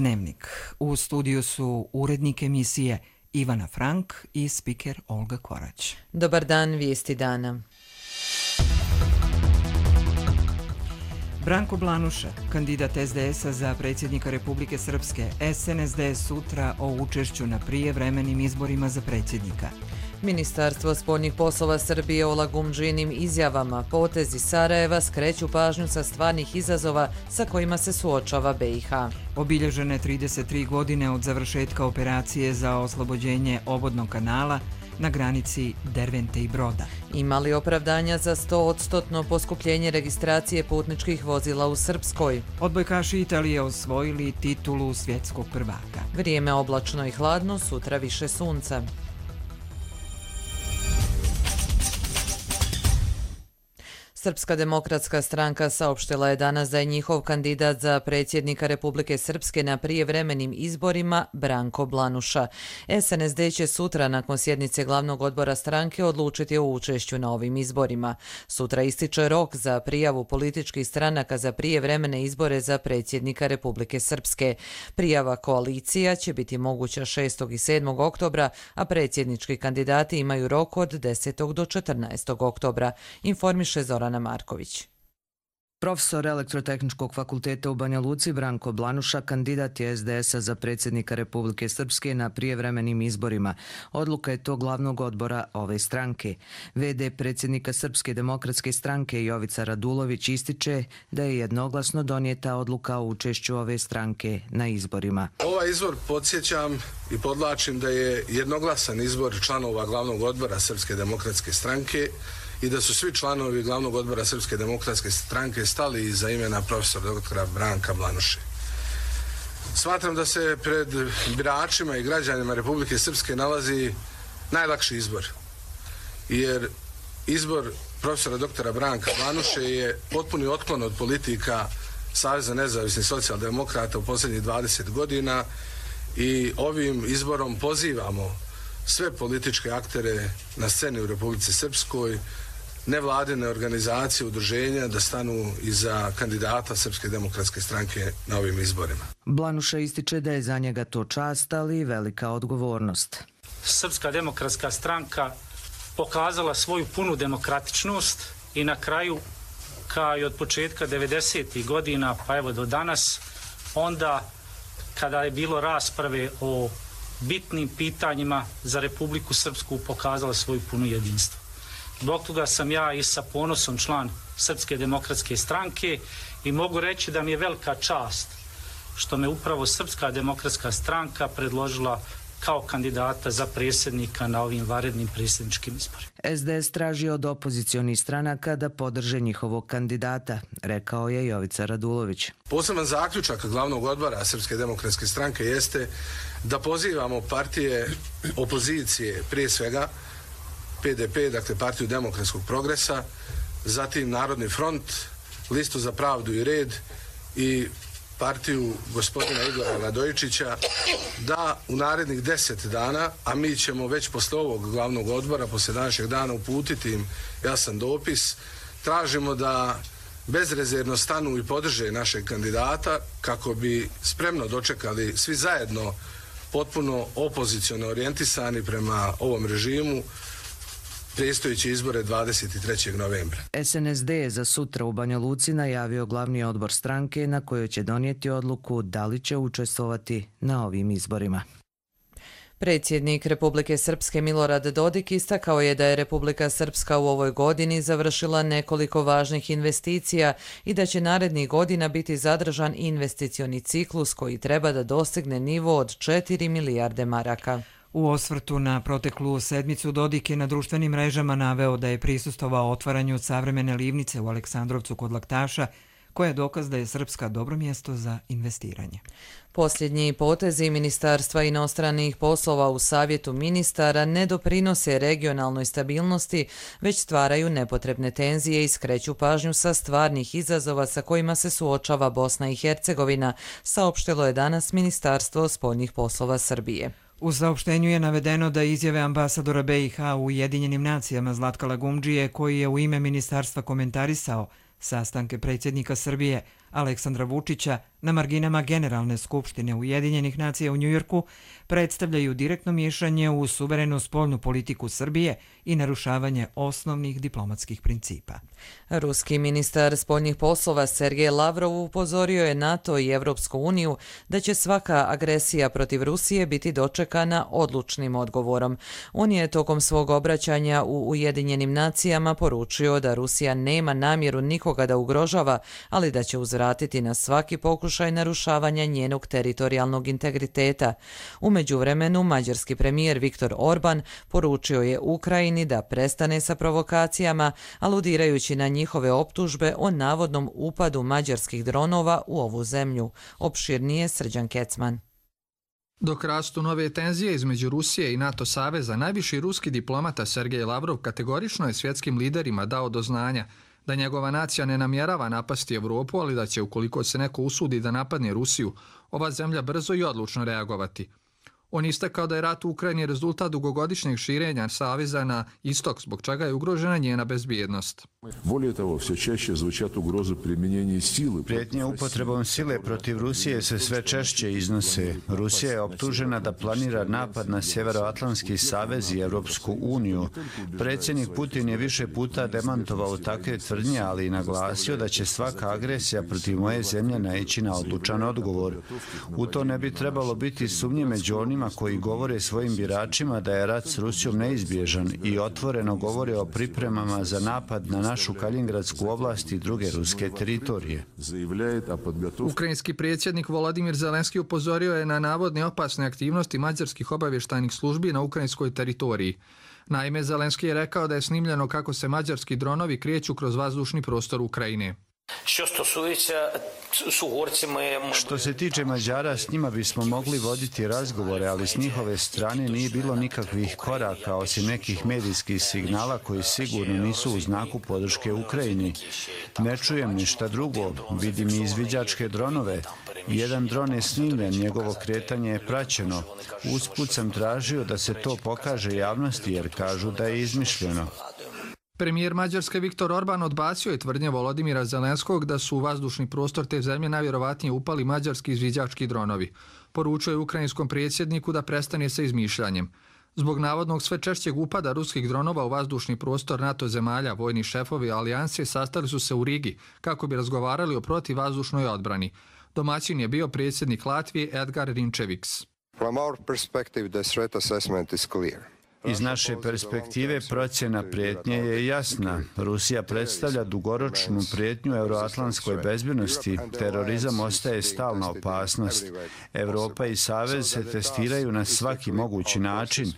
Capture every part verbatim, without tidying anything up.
Dnevnik. U studiju su urednik emisije Ivana Frank i spiker Olga Korać. Dobar dan, vijesti dana. Branko Blanuša, kandidat es de es a za predsjednika Republike Srpske, es en es de sutra o učešću na prijevremenim izborima za predsjednika. Ministarstvo spoljnih poslova Srbije o lagumdžinim izjavama, potezi Sarajeva skreću pažnju sa stvarnih izazova sa kojima se suočava be i ha. Obilježene trideset tri godine od završetka operacije za oslobođenje obodnog kanala na granici Dervente i Broda. Imali opravdanja za sto odstotno poskupljenje registracije putničkih vozila u Srpskoj. Odbojkaši Italije osvojili titulu svjetskog prvaka. Vrijeme oblačno i hladno, sutra više sunca. Srpska demokratska stranka saopštila je danas da je njihov kandidat za predsjednika Republike Srpske na prijevremenim izborima Branko Blanuša. es en es de će sutra nakon sjednice glavnog odbora stranke odlučiti o učešću na ovim izborima. Sutra ističe rok za prijavu političkih stranaka za prijevremene izbore za predsjednika Republike Srpske. Prijava koalicija će biti moguća šestog i sedmog oktobra, a predsjednički kandidati imaju rok od desetog do četrnaestog oktobra, informiše Zorana Marković. Profesor Elektrotehničkog fakulteta u Banja Luci Branko Blanuša kandidat je es de es a za predsjednika Republike Srpske na prijevremenim izborima. Odluka je to glavnog odbora ove stranke. ve de predsjednika Srpske demokratske stranke Jovica Radulović ističe da je jednoglasno donijeta odluka o učešću ove stranke na izborima. Ovaj izbor, podsjećam i podlačim, da je jednoglasan izbor članova glavnog odbora Srpske demokratske stranke i da su svi članovi glavnog odbora Srpske demokratske stranke stali iza imena profesora doktora Branka Blanuše. Smatram da se pred biračima i građanima Republike Srpske nalazi najlakši izbor, jer izbor profesora doktora Branka Blanuše je potpuni otklon od politika Saveza nezavisnih socijaldemokrata u posljednjih dvadeset godina i ovim izborom pozivamo sve političke aktere na sceni u Republici Srpskoj, nevladine organizacije, udruženja da stanu iza kandidata Srpske demokratske stranke na ovim izborima. Blanuša ističe da je za njega to čast, ali i velika odgovornost. Srpska demokratska stranka pokazala svoju punu demokratičnost i na kraju, kao i od početka devedesetih godina pa evo do danas, onda kada je bilo rasprave o bitnim pitanjima za Republiku Srpsku, pokazala svoju punu jedinstvo. Zbog toga sam ja i sa ponosom član Srpske demokratske stranke i mogu reći da mi je velika čast što me upravo Srpska demokratska stranka predložila kao kandidata za predsjednika na ovim vanrednim predsjedničkim izborima. es de es traži od opozicionih stranaka da podrže njihovog kandidata, rekao je Jovica Radulović. Poseban zaključak glavnog odbora Srpske demokratske stranke jeste da pozivamo partije opozicije, prije svega pe de pe, dakle Partiju demokratskog progresa, zatim Narodni front, Listu za pravdu i red i partiju gospodina Igora Radojičića, da u narednih deset dana, a mi ćemo već posle ovog glavnog odbora, posle današnjeg dana uputiti im jasan dopis, tražimo da bezrezervno stanu i podrže našeg kandidata kako bi spremno dočekali svi zajedno potpuno opoziciono orijentisani prema ovom režimu predstojeće izbore dvadeset trećeg novembra. es en es de je za sutra u Banja Luci najavio glavni odbor stranke na kojoj će donijeti odluku da li će učestvovati na ovim izborima. Predsjednik Republike Srpske Milorad Dodik istakao je da je Republika Srpska u ovoj godini završila nekoliko važnih investicija i da će narednih godina biti zadržan investicioni ciklus koji treba da dostigne nivo od četiri milijarde maraka. U osvrtu na proteklu sedmicu Dodik je na društvenim mrežama naveo da je prisustvovao otvaranju savremene livnice u Aleksandrovcu kod Laktaša, koja je dokaz da je Srpska dobro mjesto za investiranje. Posljednji potezi Ministarstva inostranih poslova u Savjetu ministara ne doprinose regionalnoj stabilnosti, već stvaraju nepotrebne tenzije i skreću pažnju sa stvarnih izazova sa kojima se suočava Bosna i Hercegovina, saopštilo je danas Ministarstvo spoljnih poslova Srbije. U saopštenju je navedeno da izjave ambasadora be i ha u Ujedinjenim nacijama Zlatka Lagumdžije, koji je u ime ministarstva komentarisao sastanke predsjednika Srbije Aleksandra Vučića, na marginama Generalne skupštine Ujedinjenih nacija u Njujorku predstavljaju direktno miješanje u suverenu spoljnu politiku Srbije i narušavanje osnovnih diplomatskih principa. Ruski ministar spoljnih poslova Sergej Lavrov upozorio je NATO i Evropsku uniju da će svaka agresija protiv Rusije biti dočekana odlučnim odgovorom. On je tokom svog obraćanja u Ujedinjenim nacijama poručio da Rusija nema namjeru nikoga da ugrožava, ali da će uzvratiti na svaki pokušaj narušavanja njenog teritorijalnog integriteta. U međuvremenu, mađarski premijer Viktor Orban poručio je Ukrajini da prestane sa provokacijama, aludirajući na njihove optužbe o navodnom upadu mađarskih dronova u ovu zemlju. Opširnije Srđan Kecman. Dok rastu nove tenzije između Rusije i NATO saveza, najviši ruski diplomata Sergej Lavrov kategorično je svjetskim liderima dao do znanja da njegova nacija ne namjerava napasti Evropu, ali da će, ukoliko se neko usudi da napadne Rusiju, ova zemlja brzo i odlučno reagovati. On istakao da je rat u Ukrajini rezultat dugogodišnjeg širenja saveza na istok, zbog čega je ugrožena njena bezbjednost. Prijetnje upotrebom sile protiv Rusije se sve češće iznose. Rusija je optužena da planira napad na Sjeveroatlantski savez i Evropsku uniju. Predsjednik Putin je više puta demantovao takve tvrdnje, ali i naglasio da će svaka agresija protiv moje zemlje naići na odlučan odgovor. U to ne bi trebalo biti sumnje među onima koji govore svojim biračima da je rat s Rusijom neizbježan i otvoreno govore o pripremama za napad na našu Kaliningradsku oblast i druge ruske teritorije. Ukrajinski predsjednik Volodimir Zelenski upozorio je na navodne opasne aktivnosti mađarskih obavještajnih službi na ukrajinskoj teritoriji. Naime, Zelenski je rekao da je snimljeno kako se mađarski dronovi kreću kroz vazdušni prostor Ukrajine. Što se tiče Mađara, s njima bismo mogli voditi razgovore, ali s njihove strane nije bilo nikakvih koraka, osim nekih medijskih signala koji sigurno nisu u znaku podrške Ukrajini. Ne čujem ništa drugo, vidim i izviđačke dronove. Jedan dron je snimljen, njegovo kretanje je praćeno. Usput sam tražio da se to pokaže javnosti jer kažu da je izmišljeno. Premijer Mađarske Viktor Orban odbacio je tvrdnje Volodimira Zelenskog da su u vazdušni prostor te zemlje najvjerovatnije upali mađarski izviđački dronovi. Poručuje ukrajinskom predsjedniku da prestane sa izmišljanjem. Zbog navodnog sve češćeg upada ruskih dronova u vazdušni prostor NATO zemalja, vojni šefovi alijanse sastali su se u Rigi kako bi razgovarali o protivvazdušnoj odbrani. Domaćin je bio predsjednik Latvije Edgar Rinčeviks. From our perspective, the threat assessment is clear. Iz naše perspektive procjena prijetnje je jasna. Rusija predstavlja dugoročnu prijetnju euroatlantskoj bezbjednosti. Terorizam ostaje stalna opasnost. Evropa i Savez se testiraju na svaki mogući način.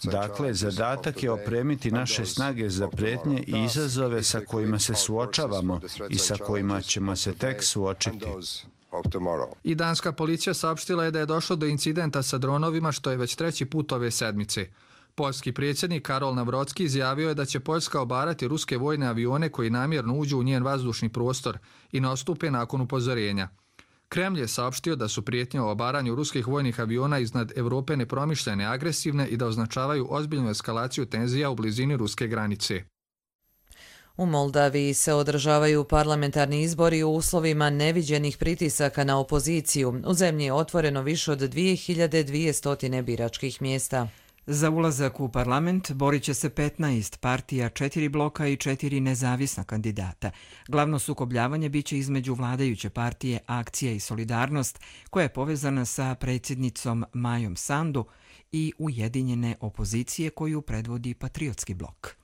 Dakle, zadatak je opremiti naše snage za prijetnje i izazove sa kojima se suočavamo i sa kojima ćemo se tek suočiti. I danska policija saopštila je da je došlo do incidenta sa dronovima, što je već treći put ove sedmice. Poljski predsjednik Karol Navrocki izjavio je da će Poljska obarati ruske vojne avione koji namjerno uđu u njen vazdušni prostor i ne odstupe nakon upozorenja. Kremlj je saopštio da su prijetnje o obaranju ruskih vojnih aviona iznad Evrope nepromišljene, agresivne i da označavaju ozbiljnu eskalaciju tenzija u blizini ruske granice. U Moldaviji se održavaju parlamentarni izbori u uslovima neviđenih pritisaka na opoziciju. U zemlji je otvoreno više od dvije hiljade dvjesto biračkih mjesta. Za ulazak u parlament borit će se petnaest partija, četiri bloka i četiri nezavisna kandidata. Glavno sukobljavanje biće između vladajuće partije Akcija i Solidarnost, koja je povezana sa predsjednicom Majom Sandu, i ujedinjene opozicije koju predvodi Patriotski blok.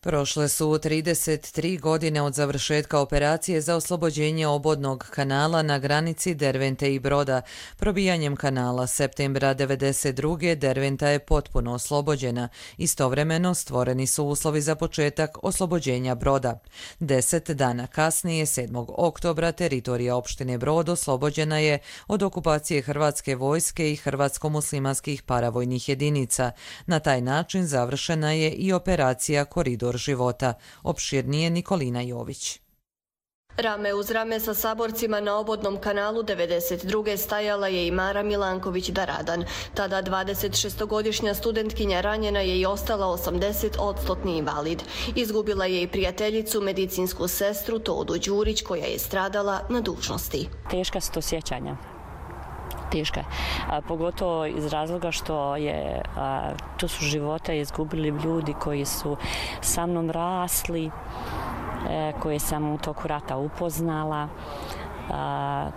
Prošle su trideset tri godine od završetka operacije za oslobođenje obodnog kanala na granici Dervente i Broda. Probijanjem kanala septembra devedeset druge Derventa je potpuno oslobođena. Istovremeno stvoreni su uslovi za početak oslobođenja Broda. Deset dana kasnije, sedmog oktobra, teritorija opštine Brod oslobođena je od okupacije hrvatske vojske i hrvatsko-muslimanskih paravojnih jedinica. Na taj način završena je i operacija Koridor života. Opširnije Nikolina Jović. Rame uz rame sa saborcima na obodnom kanalu devedeset druge stajala je i Mara Milanković-Daradan. Tada dvadesetšestogodišnja studentkinja ranjena je i ostala osamdeset odstotni invalid. Izgubila je i prijateljicu, medicinsku sestru Todu Đurić, koja je stradala na dužnosti. Teška su to sjećanja. Teška je. Pogotovo iz razloga što je, a, to su živote izgubili ljudi koji su sa mnom rasli, e, koje sam u toku rata upoznala. A,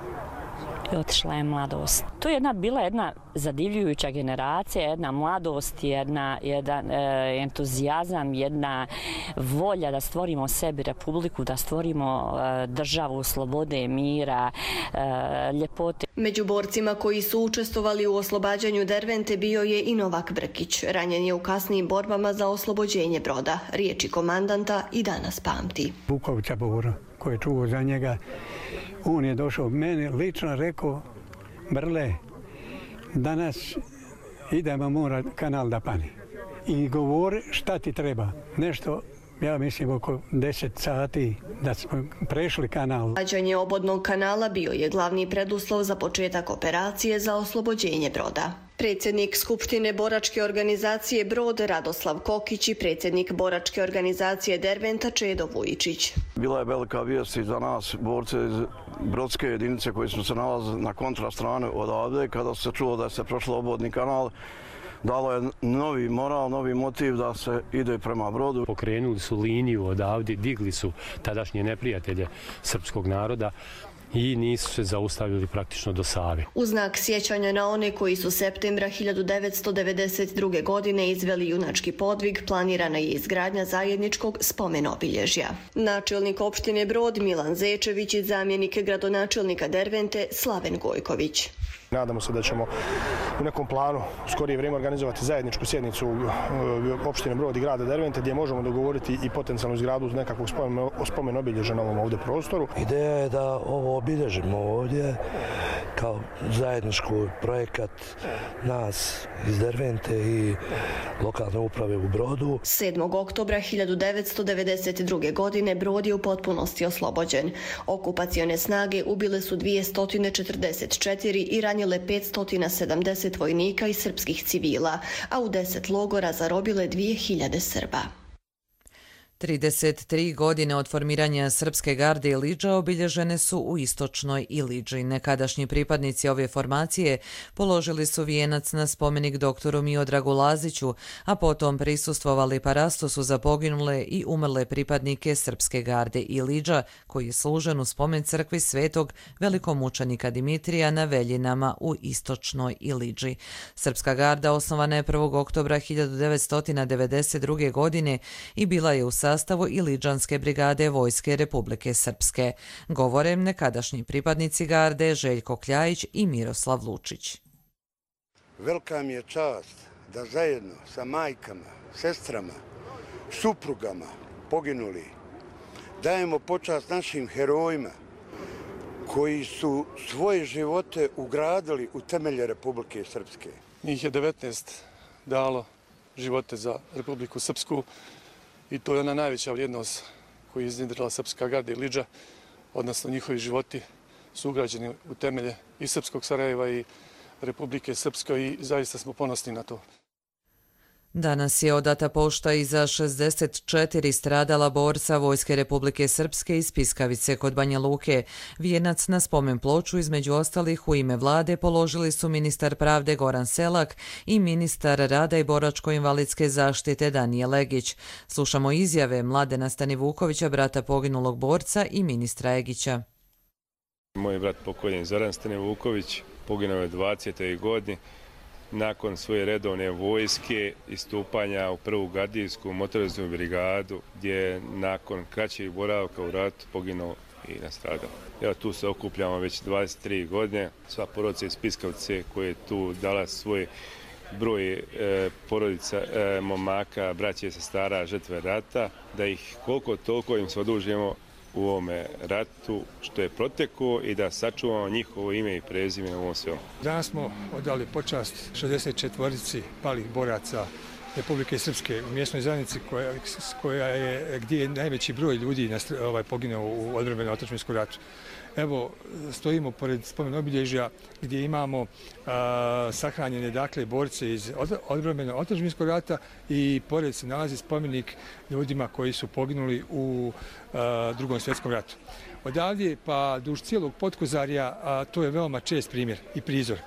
i otišla je mladost. To je jedna, bila jedna zadivljujuća generacija, jedna mladost, jedna, jedan e, entuzijazam, jedna volja da stvorimo sebi republiku, da stvorimo e, državu slobode, mira, e, ljepote. Među borcima koji su učestvovali u oslobađanju Dervente bio je i Novak Brkić. Ranjen je u kasnijim borbama za oslobođenje Broda. Riječi komandanta i danas pamti. Vukovića Bora, koji je čuo za njega, on je došao meni lično rekao: Brle, danas idemo mora kanal da pani. I govori šta ti treba. Nešto, ja mislim, oko deset sati da smo prešli kanal. Oslobađanje obodnog kanala bio je glavni preduslov za početak operacije za oslobođenje Broda. Predsjednik Skupštine boračke organizacije Brod Radoslav Kokić i predsjednik boračke organizacije Derventa Čedo Vujičić. Bila je velika vijest i za nas, borce iz brodske jedinice koji smo se nalazili na kontrastranu odavde, kada se čulo da se prošlo obodni kanal. Dalo je novi moral, novi motiv da se ide prema Brodu. Pokrenuli su liniju odavde, digli su tadašnje neprijatelje srpskog naroda i nisu se zaustavili praktično do Save. U znak sjećanja na one koji su septembra hiljadu devetsto devedeset druge. godine izveli junački podvig, planirana je izgradnja zajedničkog spomen obilježja. Načelnik opštine Brod Milan Zečević i zamjenik gradonačelnika Dervente Slaven Gojković. Nadamo se da ćemo u nekom planu u skorije vrijeme organizovati zajedničku sjednicu opštine Brod i grada Dervente, gdje možemo dogovoriti i potencijalnu izgradu nekakvog spomen obilježja na ovom ovdje prostoru. Ideja je da ovo obilježimo ovdje kao zajednički projekat nas iz Dervente i lokalne uprave u Brodu. sedmog oktobra hiljadu devetsto devedeset druge. godine Brod je u potpunosti oslobođen. Okupacione snage ubile su dvjesto četrdeset četiri i ranjile petsto sedamdeset vojnika i srpskih civila, a u deset logora zarobile dvije hiljade Srba. trideset tri godine od formiranja Srpske garde Ilidža obilježene su u istočnoj Ilidži. Nekadašnji pripadnici ove formacije položili su vijenac na spomenik doktoru Miodragu Laziću, a potom prisustvovali parastosu za poginule i umrle pripadnike Srpske garde Ilidža, koji je služen u spomen crkvi svetog velikomučenika Dimitrija na Veljinama u istočnoj Ilidži. Srpska garda osnovana je prvog oktobra hiljadu devetsto devedeset druge. godine i bila je u sastavu Ilidžanske brigade Vojske Republike Srpske. Govore nekadašnji pripadnici garde Željko Kljajić i Miroslav Lučić. Velika mi je čast da zajedno sa majkama, sestrama, suprugama poginuli dajemo počast našim herojima koji su svoje živote ugradili u temelje Republike Srpske. Njih je devetnaest dalo živote za Republiku Srpsku. I to je ona najveća vrijednost koju je iznjedrila Srpska garda Ilidža, odnosno njihovi životi su ugrađeni u temelje i Srpskog Sarajeva i Republike Srpske i zaista smo ponosni na to. Danas je odata pošta i za šezdeset četiri stradala borca Vojske Republike Srpske iz Piskavice kod Banja Luke. Vijenac na spomen ploču između ostalih u ime vlade položili su ministar pravde Goran Selak i ministar rada i boračko-invalidske zaštite Danije Legić. Slušamo izjave Mladena Stanivukovića, brata poginulog borca, i ministra Egića. Moj brat pokojni Zoran Stanivuković poginuo je dvadesete godine. Nakon svoje redovne vojske i stupanja u prvu gardijsku motorizovanu brigadu, gdje je nakon kraćeg boravka u ratu poginuo i nastradao. Evo, tu se okupljamo već dvadeset tri godine. Sva porodica iz Piskavce koja je tu dala svoj broj e, porodica, e, momaka, braće i sestara, žrtve rata, da ih koliko toliko im se odužujemo u ovome ratu što je protekao i da sačuvamo njihovo ime i prezime u ovom svemu. Danas smo odali počast šezdeset četvorici palih boraca Republike Srpske u mjesnoj zajednici koja, koja je, gdje je najveći broj ljudi ovaj, poginuo u odbrambenom otadžbinskom ratu. Evo, stojimo pored spomen obilježja gdje imamo a, sahranjene dakle borce iz odbrambenog otadžbinskog rata i pored se nalazi spomenik ljudima koji su poginuli u a, drugom svjetskom ratu. Odavdje pa duž cijelog Potkozarja a, to je veoma čest primjer i prizor.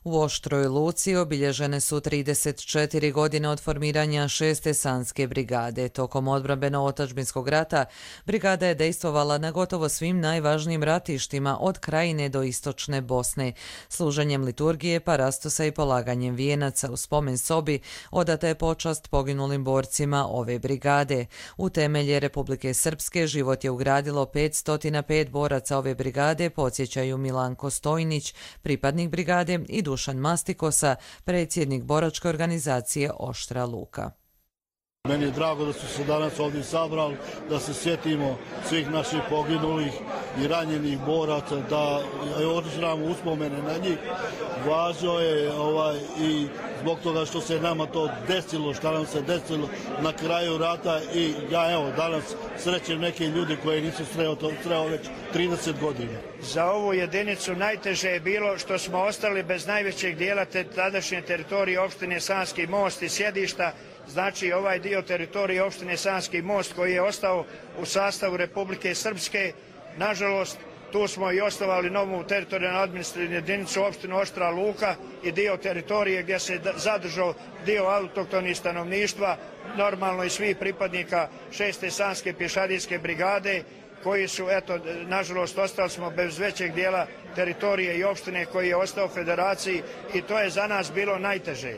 U Oštroj Luci obilježene su trideset četiri godine od formiranja šeste Sanske brigade. Tokom odbrambeno-otadžbinskog rata brigada je dejstvovala na gotovo svim najvažnijim ratištima od Krajine do Istočne Bosne. Služenjem liturgije, parastosa i polaganjem vijenaca u spomen sobi odata je počast poginulim borcima ove brigade. U temelje Republike Srpske život je ugradilo petsto pet boraca ove brigade, podsjećaju Milanko Stojnić, pripadnik brigade, i Dušan Mastikosa, predsjednik boračke organizacije Oštra Luka. Meni je drago da su se danas ovdje sabrali, da se sjetimo svih naših poginulih i ranjenih boraca, da održavamo uspomene na njih. Važno je ovaj, i zbog toga što se nama to desilo, što nam se desilo na kraju rata i ja evo danas srećem neke ljudi koji nisu sreo, sreo već trideset godina. Za ovu jedinicu najteže je bilo što smo ostali bez najvećeg dijela te tadašnje teritorije opštine Sanski Most i sjedišta. Znači ovaj dio teritorije opštine Sanski Most koji je ostao u sastavu Republike Srpske, nažalost tu smo i osnovali novu teritorijalnu administrativnu jedinicu opštinu Oštra Luka i dio teritorije gdje se zadržao dio autohtonih stanovništva, normalno i svih pripadnika šeste Sanske pješadijske brigade koji su, eto, nažalost ostali smo bez većeg dijela teritorije i opštine koji je ostao federaciji i to je za nas bilo najteže.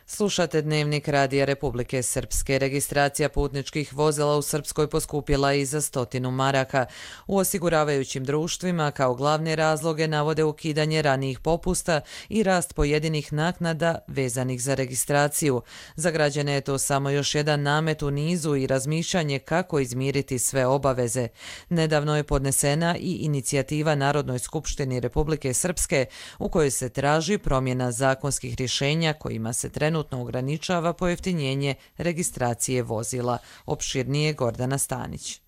Slušate Dnevnik Radija Republike Srpske. Registracija putničkih vozila u Srpskoj poskupila i za stotinu maraka. U osiguravajućim društvima kao glavne razloge navode ukidanje ranijih popusta i rast pojedinih naknada vezanih za registraciju. Za građane je to samo još jedan namet u nizu i razmišljanje kako izmiriti sve obaveze. Nedavno je podnesena i inicijativa Narodnoj skupštini Republike Srpske u kojoj se traži promjena zakonskih rješenja kojima se trenutno trenutno ograničava pojeftinjenje registracije vozila. Opširnije Gordana Stanić.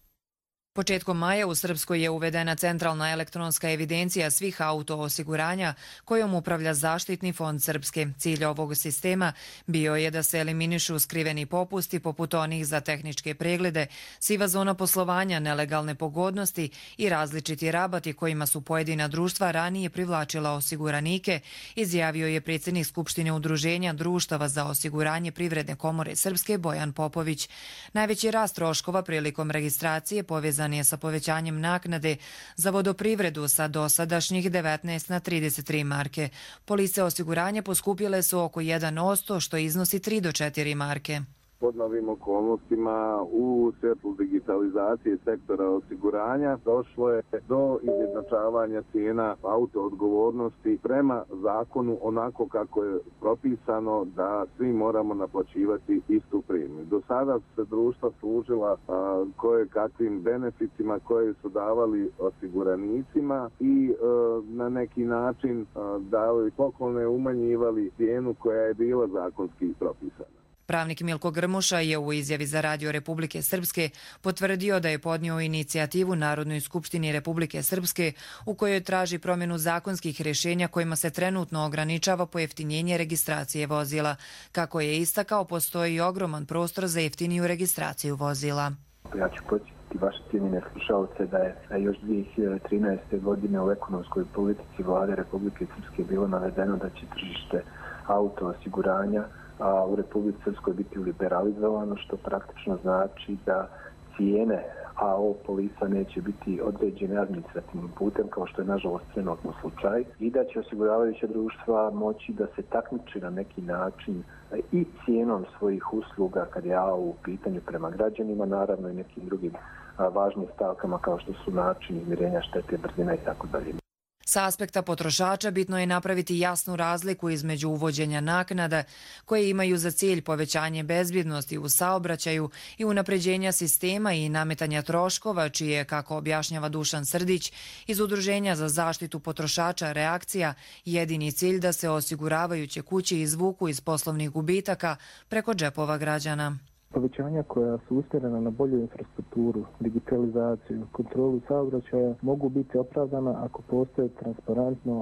Početkom maja u Srpskoj je uvedena centralna elektronska evidencija svih auto osiguranja kojom upravlja Zaštitni fond Srpske. Cilj ovog sistema bio je da se eliminišu skriveni popusti poput onih za tehničke preglede, siva zona poslovanja, nelegalne pogodnosti i različiti rabati kojima su pojedina društva ranije privlačila osiguranike, izjavio je predsjednik Skupštine Udruženja društava za osiguranje Privredne komore Srpske Bojan Popović. Najveći rast troškova prilikom registracije povezan je sa povećanjem naknade za vodoprivredu sa dosadašnjih devetnaest na trideset tri marke. Police osiguranja poskupile su oko jedan posto, što iznosi tri do četiri marke. Pod novim okolnostima u svjetlu digitalizacije sektora osiguranja došlo je do izjednačavanja cijena auto odgovornosti prema zakonu onako kako je propisano da svi moramo naplaćivati istu premiju. Do sada se društva služila a, koje kakvim benefitima koje su davali osiguranicima i a, na neki način a, davali poklone, umanjivali cijenu koja je bila zakonski propisana. Pravnik Milko Grmuša je u izjavi za Radio Republike Srpske potvrdio da je podnio inicijativu Narodnoj skupštini Republike Srpske u kojoj traži promjenu zakonskih rješenja kojima se trenutno ograničava pojeftinjenje registracije vozila. Kako je istakao, postoji ogroman prostor za jeftiniju registraciju vozila. Ja ću podsjetiti vaše cijenjene slušalce da je još dvije hiljade trinaeste. godine u ekonomskoj politici Vlade Republike Srpske bilo navedeno da će tržište auto osiguranja a u Republici Srpskoj biti liberalizovano, što praktično znači da cijene A O polisa neće biti određene administrativnim putem, kao što je nažalost trenutno slučaj, i da će osiguravajuća društva moći da se takmiči na neki način i cijenom svojih usluga kad je A O u pitanju prema građanima, naravno i nekim drugim važnim stavkama kao što su način izmirenja štete, brzina i tako dalje. Sa aspekta potrošača bitno je napraviti jasnu razliku između uvođenja naknada koje imaju za cilj povećanje bezbjednosti u saobraćaju i unapređenja sistema i nametanja troškova, čije, kako objašnjava Dušan Srdić, iz Udruženja za zaštitu potrošača Reakcija, jedini cilj da se osiguravajuće kuće izvuku iz poslovnih gubitaka preko džepova građana. Povećanja koja su usmjerena na bolju infrastrukturu, digitalizaciju, kontrolu saobraćaja mogu biti opravdana ako postoje transparentno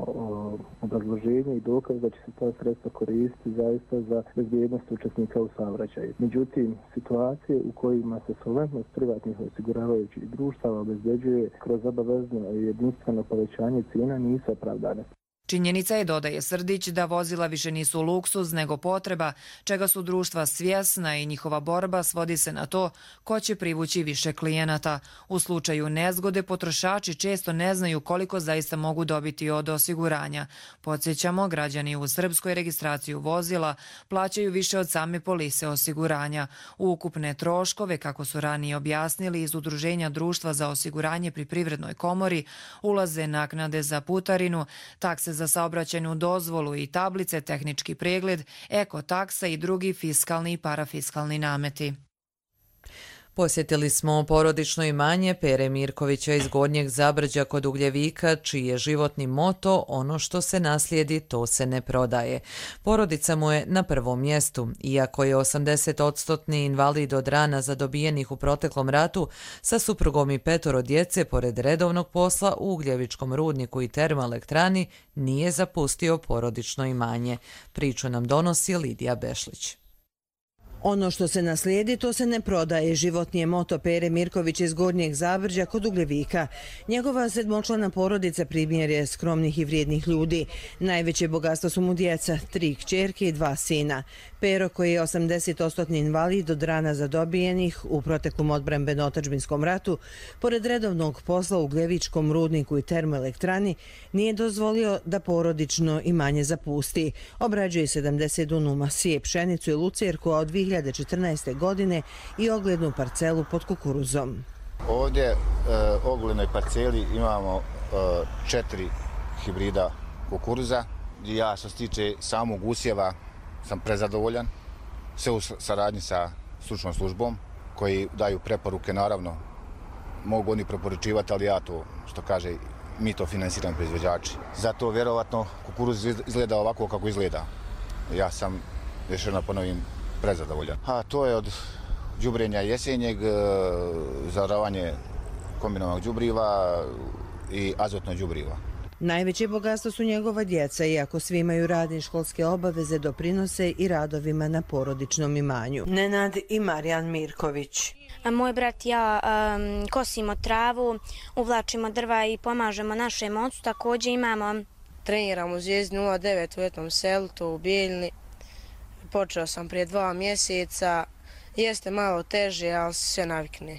obrazloženje i dokaz da će se ta sredstva koristiti zaista za bezbjednost učesnika u saobraćaju. Međutim, situacije u kojima se solventnost privatnih osiguravajućih društava obezbeđuje kroz obavezno i jedinstveno povećanje cijena nisu opravdane. Činjenica je, dodaje Srdić, da vozila više nisu luksuz nego potreba, čega su društva svjesna i njihova borba svodi se na to ko će privući više klijenata. U slučaju nezgode potrošači često ne znaju koliko zaista mogu dobiti od osiguranja. Podsjećamo, građani u Srpskoj registraciju vozila plaćaju više od same polise osiguranja. U ukupne troškove, kako su ranije objasnili iz Udruženja društva za osiguranje pri Privrednoj komori, ulaze naknade za putarinu, takse za saobraćajnu dozvolu i tablice, tehnički pregled, ekotaksa i drugi fiskalni i parafiskalni nameti. Posjetili smo porodično imanje Pere Mirkovića iz Gornjeg Zabrđa kod Ugljevika, čiji je životni moto ono što se naslijedi, to se ne prodaje. Porodica mu je na prvom mjestu, iako je osamdesetodstotni invalid od rana zadobijenih u proteklom ratu, sa suprugom i petoro djece, pored redovnog posla u Ugljevičkom rudniku i termoelektrani, nije zapustio porodično imanje. Priču nam donosi Lidija Bešlić. Ono što se naslijedi, to se ne prodaje. Životni je moto Pere Mirkovića iz Gornjeg Zabrđa kod Ugljevika. Njegova sedmočlana porodica primjer je skromnih i vrijednih ljudi. Najveće bogatstvo su mu djeca, tri kćerke i dva sina. Pero, koji je osamdesetodstotni invalid od rana zadobijenih u proteklom odbrambeno-otadžbinskom ratu, pored redovnog posla u Ugljevičkom rudniku i termoelektrani, nije dozvolio da porodično imanje zapusti. Obrađuje sedamdeset dunuma, sije pšenicu i lucerku, a od dvije hiljade četrnaeste. godine i oglednu parcelu pod kukuruzom. Ovdje u oglednoj parceli imamo četiri hibrida kukuruza. Ja što se tiče samog usjeva sam prezadovoljan. Sve u saradnji sa stručnom službom koji daju preporuke, naravno mogu oni preporučivati, ali ja to, što kaže, mi to finansiramo proizvođači. Zato vjerovatno kukuruz izgleda ovako kako izgleda. Ja sam, još jedno ponovim, prezadovoljan. A to je od đubrenja jesenjeg, zavaravanje kombinovanog đubriva i azotno đubriva. Najveće bogatstvo su njegova djeca, iako svi imaju radne školske obaveze, doprinose i radovima na porodičnom imanju. Nenad i Marijan Mirković. Moj brat i ja um, kosimo travu, uvlačimo drva i pomažemo našem ocu. Također imamo... Treniram u Zvijezdi nula devet u Etnom selu, to u Bijeljni. Počeo sam prije dva mjeseca. Jeste malo teže, ali sve navikne.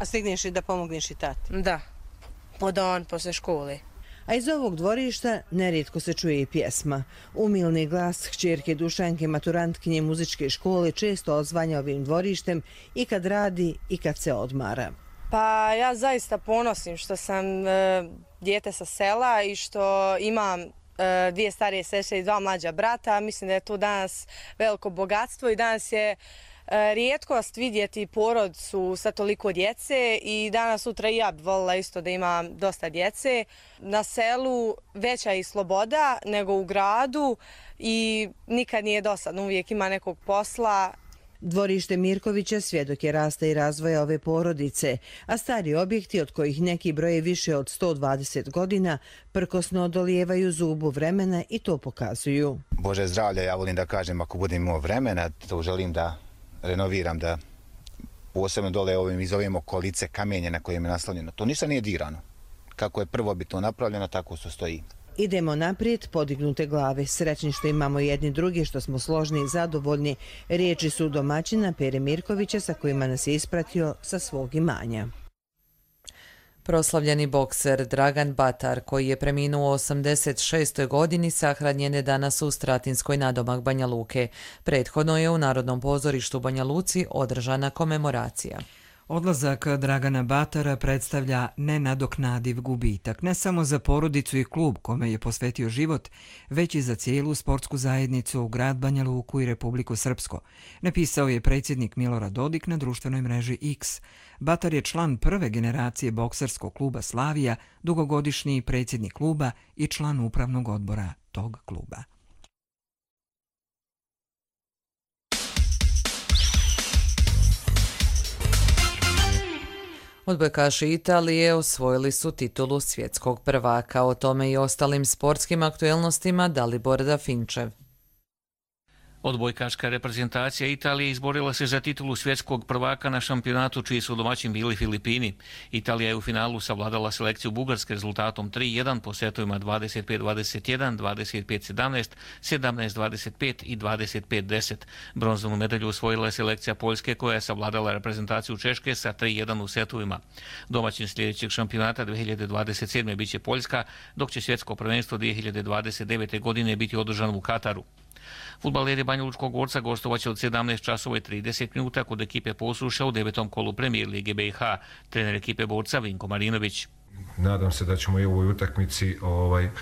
A stigneš i da pomogneš i tati? Da, po dan, posle škole. A iz ovog dvorišta nerijetko se čuje i pjesma. Umilni glas kćerke Dušanke, maturantkinje muzičke škole, često odzvanja ovim dvorištem i kad radi i kad se odmara. Pa ja zaista ponosim što sam e, dijete sa sela i što imam e, dvije starije sestre i dva mlađa brata. Mislim da je to danas veliko bogatstvo i danas je rijetkost vidjeti porodicu sa toliko djece i danas sutra i ja bih volila isto da imam dosta djece. Na selu veća je i sloboda nego u gradu i nikad nije dosadno, uvijek ima nekog posla. Dvorište Mirkovića svjedok je rasta i razvoja ove porodice, a stari objekti, od kojih neki broje više od sto dvadeset godina, prkosno odolijevaju zubu vremena i to pokazuju. Bože zdravlja, ja volim da kažem, ako budem imao vremena, to želim da renoviram, da posebno dole ovim iz ove okolice kamenje na kojem je naslonjeno. To ništa nije dirano. Kako je prvobitno napravljeno, tako se stoji. Idemo naprijed, podignute glave, srećni što imamo jedni drugi, što smo složni i zadovoljni. Riječi su domaćina Pere Mirkovića sa kojima nas je ispratio sa svog imanja. Proslavljeni bokser Dragan Batar, koji je preminuo u osamdeset šestoj. godini, sahranjen je danas u Stratinskoj nadomak Banja Luke. Prethodno je u Narodnom pozorištu Banja Luci održana komemoracija. Odlazak Dragana Batara predstavlja nenadoknadiv gubitak, ne samo za porodicu i klub kome je posvetio život, već i za cijelu sportsku zajednicu, grad Banja Luku i Republiku Srpsko, napisao je predsjednik Milorad Dodik na društvenoj mreži X. Batar je član prve generacije bokserskog kluba Slavija, dugogodišnji predsjednik kluba i član upravnog odbora tog kluba. Odbojkaši Italije osvojili su titulu svjetskog prvaka. O tome i ostalim sportskim aktuelnostima Dalibor Dafinčev. Odbojkaška reprezentacija Italije izborila se za titulu svjetskog prvaka na šampionatu čiji su domaćin bili Filipini. Italija je u finalu savladala selekciju Bugarske rezultatom tri jedan po setovima dvadeset pet dvadeset jedan, dvadeset pet sedamnaest, sedamnaest dvadeset pet i dvadeset pet deset. Bronzanu medalju osvojila je selekcija Poljske koja je savladala reprezentaciju Češke sa tri jedan u setovima. Domaćin sljedećeg šampionata dvije hiljade dvadeset sedme biće Poljska, dok će svjetsko prvenstvo dvije hiljade dvadeset devete godine biti održano u Kataru. Fudbaleri Banjalučkog Gorca gostovaće od sedamnaest časova i trideset minuta kod ekipe Posuša u devetom kolu Premijer Lige B i H. Trener ekipe Borca Vinko Marinović. Nadam se da ćemo i u ovoj utakmici ovaj, uh,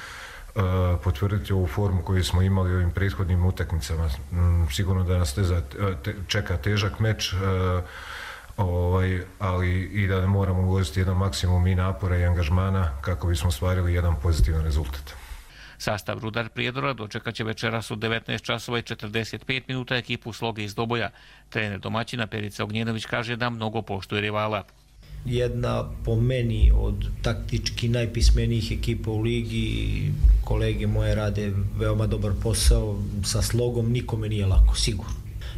potvrditi ovu formu koju smo imali u ovim prethodnim utakmicama. Mm, sigurno da nas teza, te, čeka težak meč, uh, ovaj, ali i da moramo uložiti jedan maksimum i napora i angažmana kako bismo ostvarili jedan pozitivan rezultat. Sastav Rudar Prijedora dočekat će večeras u devetnaest časova i četrdeset pet minuta ekipu Sloge iz Doboja. Trener domaćina Perica Ognjenović kaže da mnogo poštuje rivala. Jedna po meni od taktički najpismenijih ekipa u ligi, kolege moje rade veoma dobar posao, sa Slogom nikome nije lako, sigurno.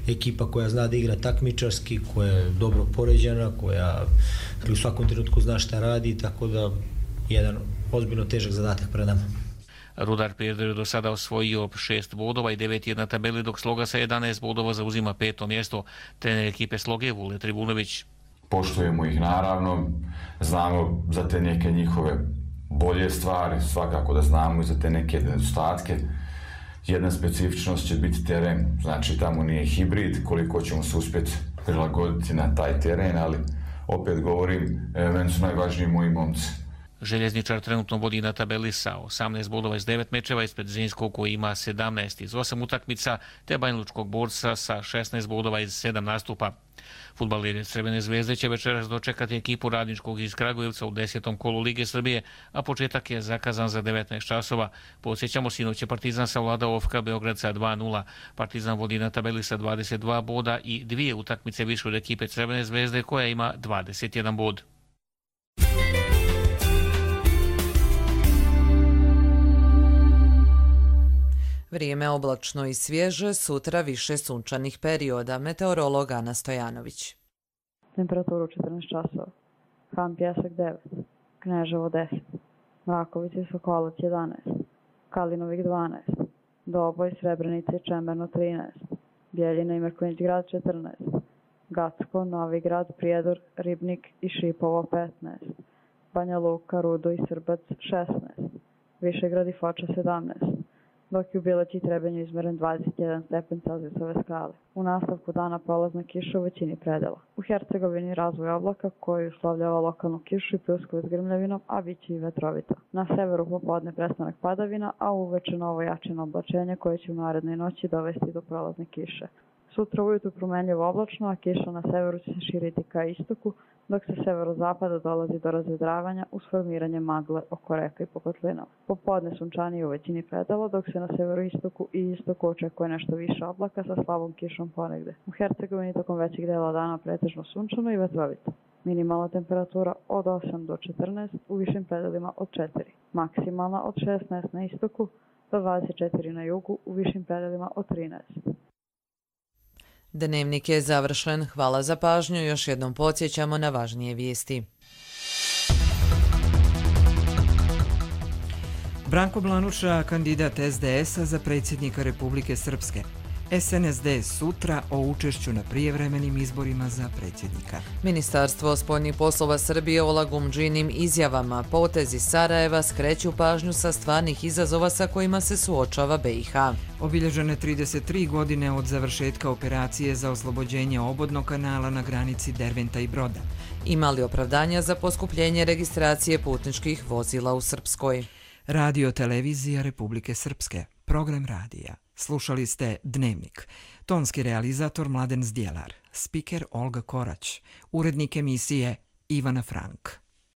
Ekipa koja zna da igra takmičarski, koja je dobro poređena, koja u svakom trenutku zna šta radi, tako da jedan ozbiljno težak zadatak pred nama. Rudar Prijedor je do sada osvojio šest bodova i devet je na tabeli, dok Sloga sa jedanaest bodova zauzima peto mjesto. Trener ekipe Sloge Vule Tribunović. Poštujemo ih naravno, znamo za te neke njihove bolje stvari, svakako da znamo i za te neke nedostatke. Jedna specifičnost će biti teren, znači tamo nije hibrid, koliko ćemo se uspjeti prilagoditi na taj teren, ali opet govorim, meni su najvažniji moji momci. Željezničar trenutno vodi na tabeli sa osamnaest bodova iz devet mečeva, ispred Zrinskog koji ima sedamnaest iz osam utakmica, te Banjalučkog Borca sa šesnaest bodova iz sedam nastupa. Fudbaleri Crvene zvezde će večeras dočekati ekipu Radničkog iz Kragujevca u desetom kolu Lige Srbije, a početak je zakazan za devetnaest časova. Podsjećamo, sinoć je Partizan savladao O F K Beograd sa dva nula. Partizan vodi na tabeli sa dvadeset dva boda i dvije utakmice više od ekipe Crvene zvezde koja ima dvadeset jedan bod. Vrijeme oblačno i svježe, sutra više sunčanih perioda. Meteorolog Ana Stojanović. Temperaturu četrnaest časova. Han Pjesak devet, Kneževo deset, Mraković i Sokolac jedanaest, Kalinovik dvanaest, Doboj, Srebrenica i Čemerno trinaest, Bjeljina i Mrkonjić grad četrnaest, Gacko, Novi grad, Prijedor, Ribnik i Šipovo petnaest, Banja Luka, Rudo i Srbac šesnaest, Višegrad i Foča sedamnaest, dok je u Bileći i Trebenju izmeren dvadeset jedan stepen Celzijusove skale. U nastavku dana prolazna kiša u većini predela. U Hercegovini razvoj oblaka koji uslovljava lokalnu kišu i pljuskove s grmljavinom, a bit će i vetrovito. Na severu popodne prestanak padavina, a uveče novo jačino oblačenje koje će u narednoj noći dovesti do prolazne kiše. Sutra ujutru promenljivo oblačno, a kiša na severu će se širiti ka istoku, dok se severozapada dolazi do razvedravanja uz formiranje magle oko reka i po kotlinama. Popodne sunčanije u većini predela, dok se na severoistoku i istoku očekuje nešto više oblaka sa slabom kišom ponegde. U Hercegovini tokom većeg dela dana pretežno sunčano i vetrovito. Minimalna temperatura od osam do četrnaest, u višim predelima od četiri. Maksimalna od šesnaest na istoku do dvadeset četiri na jugu, u višim predelima od trinaest. Dnevnik je završen. Hvala za pažnju. Još jednom podsjećamo na važnije vijesti. Branko Blanuša, kandidat S D S-a za predsjednika Republike Srpske. S N S D sutra o učešću na prijevremenim izborima za predsjednika. Ministarstvo spoljnih poslova Srbije o lagumdžinim izjavama potezi Sarajeva skreću pažnju sa stvarnih izazova sa kojima se suočava B i H. Obilježene trideset tri godine od završetka operacije za oslobođenje obodnog kanala na granici Derventa i Broda. Imali opravdanja za poskupljenje registracije putničkih vozila u Srpskoj. Radio televizija Republike Srpske. Program radija. Slušali ste Dnevnik. Tonski realizator Mladen Zdjelar. Spiker Olga Korać. Urednik emisije Ivana Frank.